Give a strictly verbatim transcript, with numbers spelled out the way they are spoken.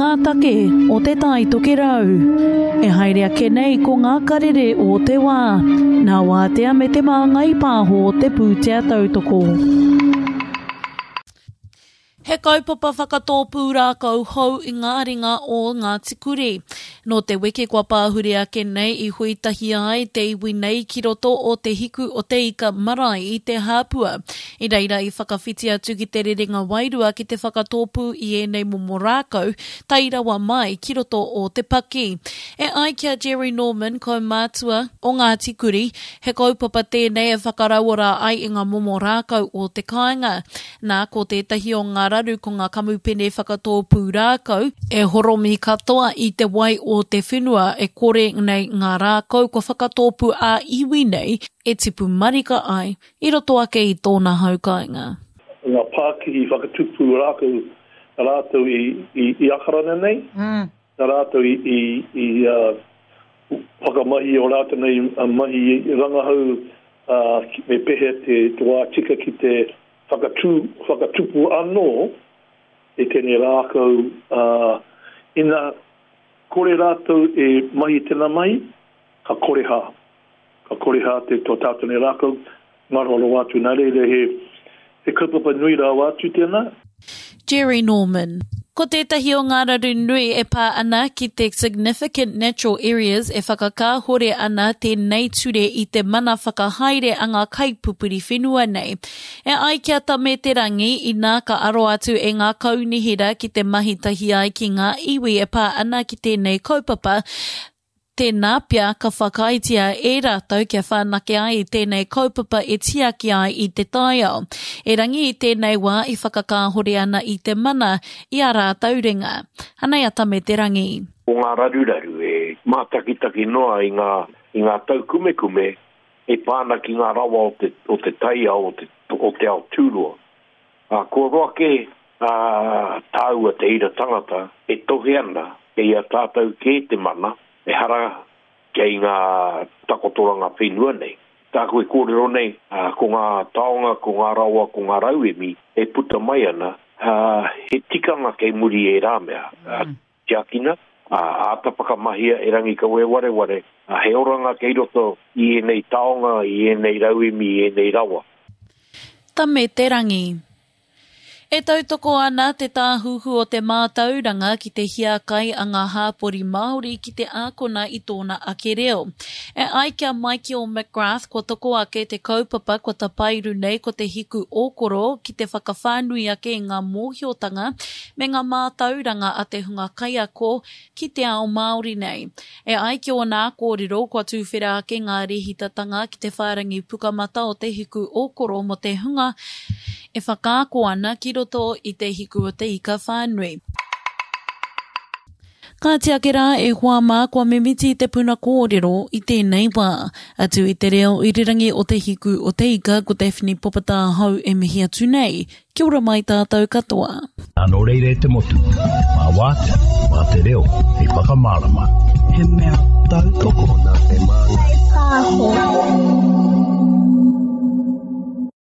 ngā take o Te Tai Tokerau. E haere ake nei ko ngā karere o te wā, nā Wātea me Te Māngai Pāho te pūtea tautoko. He kaupapa whakatōpū rākau hou i ngā ringa o Ngāti Kuri. Nō te wiki kua pāhure ake nei i hui tahi ai te iwi nei ki roto o Te Hiku o Te Ika marae i Te Hāpua. I reira i whakawhiti atu ki te rerenga wairua ki te whakatōpū i ēnei momo rākau tae rawa mai ki roto o Te Paki. E ai ki a Jerry Norman, kaumātua o Ngāti Kuri, he kaupapa tēnei e whakarauora ai i ngā momo rākau o te kāinga. Nā, ko tētahi o ngā raru ko ngā kamupene whakatōpū rākau, e horomi katoa i te wai o te whenua e kore nei ngā rākau kua whakatōpū ā-iwi nei e tipu marika ai i roto ake i tōna hau kāinga. Ngā pākihi whakatupu rākau nā rātou i, i, i Akarana nei, mm. nā rātou i, i, i uh, whakamahi o rātou nei mahi rangahau uh, me pehea te, te wā tika ki te whakatū, whakatupu anō i tēnei rākau uh, ina kore rātou e mahi tēnā mahi, ka kore hā. Ka kore hā te tō tātou nei rākau, ngaro rawa atu. Nā reira he, he kaupapa nui rawa atu tēnā. Jerry Norman. Ko tētahi o ngā raru nui e pā ana ki te Significant Natural Areas e whakakāhore ana tēnei ture i te mana whakahaere a ngā kaipupuri whenua nei. E ai ki a Tame Te Rangi, inā ka aro atu e ngā kaunihera ki te mahi tahi ai ki ngā iwi e pā ana ki tēnei kaupapa, tēnā pea ka whakaaetia e rātou kia whanake ai i tēnei kaupapa e tiaki ai i te taiao. Erangi i tēnei wā i whakakāhore ana i te mana i a rātou ringa. Anei a Tame Te Rangi. Ko ngā raruraru e mātakitaki noa i ngā, i ngā taukumekume e pā ana ki ngā rawa o te, o te taiao, o te, o te ao tūroa. Ā, kua roa kē ā, tāua te ira tangata e tohe ana kei a tātou kē te mana, ehara kei ngā takotoranga whenua nei. Tāku e kōrero nei, ā, ko ngā taonga, ko ngā rawa, ko ngā rauemi e puta mai ana, ā, he tikanga kei muri e rā mea. Ā, tiakina, ā, āta whakamahia e Rangikawe wareware, ā, he oranga kei roto i ēnei taonga, i ēnei rauemi, i ēnei rawa. Tame Te Rangi. E tautoko ana te Tāhuhu o te Mātauranga ki te hiakai a ngā hāpori Māori ki te ākona i tōna ake reo. E ai ki a Michael McGrath kua toko ake te kaupapa kua tapairu nei ko te hiku ōkoro ki te whakawhānui ake i ngā mōhiotanga me ngā mātauranga a te hunga kaiako ki te ao Māori nei. E ai ki ōna kōrero kua tūwhera ake ngā rēhitatanga ki te whārangi pukamata o te hiku ōkoro mō te hunga e whakaako ana ki roto i te hiku o te ika whānui. Kāti ake rā e hoa mā kua mimiti te puna kōrero i tēnei wā. Atu i te reo irirangi o te hiku o te ika ko Daphne Popatāhau e mihi atu nei. Kia ora mai tātou katoa. Nō reira e te motu, mā wātea, mā te reo, hei whakamārama. He mea tautoko nā Te Māngai Pāho.